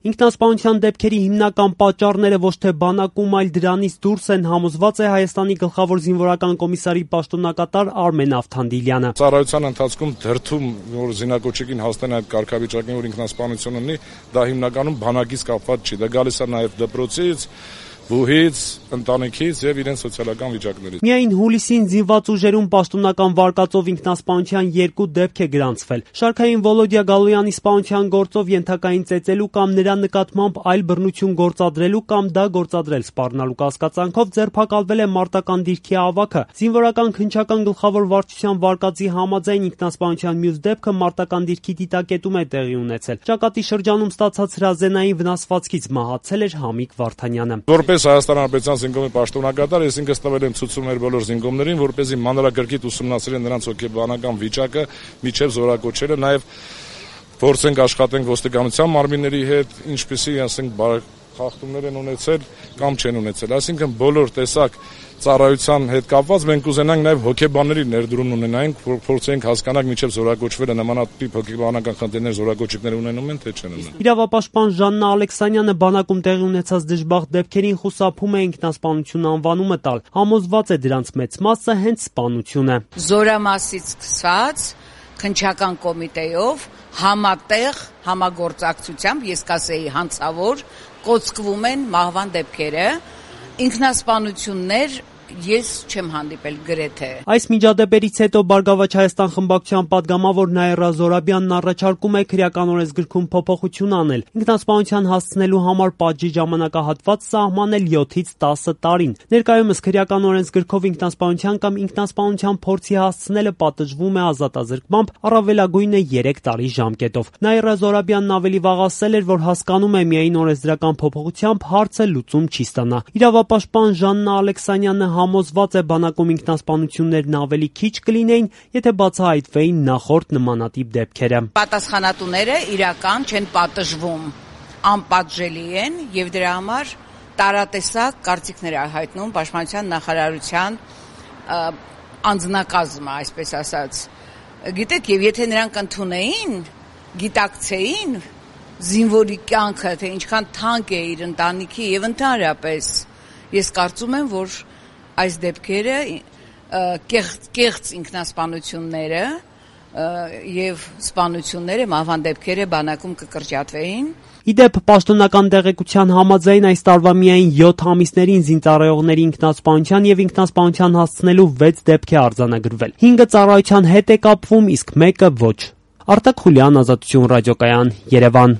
Ինքնասպանության դեպքերի հիմնական պատճառները ոչ թե բանակում, այլ դրանից դուրս են, համոզված է Հայաստանի գլխավոր զինվորական կոմիսարի պաշտոնակատար Արմեն Ավթանդիլյանը։ Ծառայության ընթացքում դրդում, որ զինակոչիկին հասնեն այդ կարգավիճակին, որ ինքնասպանություն ունի, դա հիմնականում բանակից կապված չի, դա գալիս է նաև դպրոցից, բուհից, ընտանիքից եւ իրեն սոցիալական վիճակներից։ Միայն հուլիսին զինված ուժերում պաշտոնական վարկածով ինքնասպանության 2 դեպք է գրանցվել։ Շարքային Վոլոդիա Գալոյանի սպանության գործով ենթակային ծեծելու կամ նրա նկատմամբ այլ բռնություն գործադրելու կամ դա գործադրել սպառնալու կասկածանքով ձերբակալվել է մարտական դիրքի ավագը։ Զինվորական քննչական գլխավոր վարչության վարկածի համաձայն ինքնասպանության մյուս դեպքը մարտական դիրքի դիտակետում է տեղի ունեցել։ Ճակատի շրջանում ստացած հրազենային վնասվածքից մահացել էր Համիկ Վարդանյանը։ Հայաստան Հանրապետության զինկոմի պաշտոնակատար, ես ինքս տվել եմ ցուցում մեր բոլոր զինկոմներին, որպեսզի մանրակրկիտ ուսումնասիրեն նրանց հոգեբանական վիճակը, միջև զորակոչելը, նաև փորձենք աշխատենք ոստիկանության մարմինների հետ, ինչպեսի ասենք խախտումներ են ունեցել կամ չեն ունեցել, այսինքն բոլոր տեսակ ծառայության հետ կապված մենք կուզենանք նաև հոգեբանների ներդրում ունենայինք, փորձենք հասկանալ միջև զորակոչվելը նմանատիպ հոգեբանական խնդիրներ զորակոչիկներ ունենում են, թե չեն ունենում։ Իրավապաշտպան Ժաննա Ալեքսանյանը բանակում տեղի ունեցած դժբախտ դեպքերին խուսափում է ինքնասպանություն անվանումը տալ, համոզված է դրանց մեծ մասը հենց սպանություն է։ Զորամասից սկսած քննչական կոմիտեով համատեղ համագործակցությամբ, ես կասեի հանցավոր, կոծկվում են մահվան դեպքերը, ինքնասպանություններ ես չեմ հանդիպել գրեթե։ Այս միջադեպերից հետո Բարգավաճ Հայաստան խմբակցության падգամավոր Նաիրա Զորաբյանն առաջարկում է քրեական օրենսգրքում փոփոխություն անել, ինքնասպանության հասցնելու համար պատժի ժամանակահատված սահմանել 7-ից 10 տարին։ Ներկայումս քրեական օրենսգրքով ինքնասպանության կամ ինքնասպանության փորձի հասցնելը պատժվում է ազատազրկմամբ, առավելագույնը 3 տարի ժամկետով։ Նաիրա Զորաբյանն ավելի վաղ ասել էր, որ հասկանում է միայն օրենսդրական փոփոխությամբ հարցը լուծում չի ստանա։ Իրավապաշտպան Ժաննա Ալեքսանյանը համոզված է բանակում ինքնասպանություններն ավելի քիչ կլինեին, եթե բացահայտվեին նախորդ նմանատիպ դեպքերը։ Պատասխանատուները իրական չեն պատժվում, անպատժելի են եւ դրա համար տարատեսակ կարծիքներ հայտնում Պաշտպանության նախարարության անձնակազմը, այսպես ասած։ Գիտեք, եւ եթե նրանք ընդունեին, գիտակցեին զինվորի կյանքը, թե ինչքան թանկ է իր ընտանիքի եւ ընդհանրապես, ես կարծում եմ, որ այս դեպքերը կեղծ ինքնասպանությունները եւ սպանությունները, մահվան դեպքերը բանակում կկրճատվեին։ Իդեպ պաշտոնական տեղեկության համաձայն այս տարվա միայն 7 ամիսներին զինծառայողների ինքնասպանության եւ ինքնասպանության հասցնելու 6 դեպք է արձանագրվել։ 5-ը ծառայության հետ է կապվում, իսկ 1-ը ոչ։ Արտակ Խուլյան, Ազատություն ռադիոկայան, Երևան։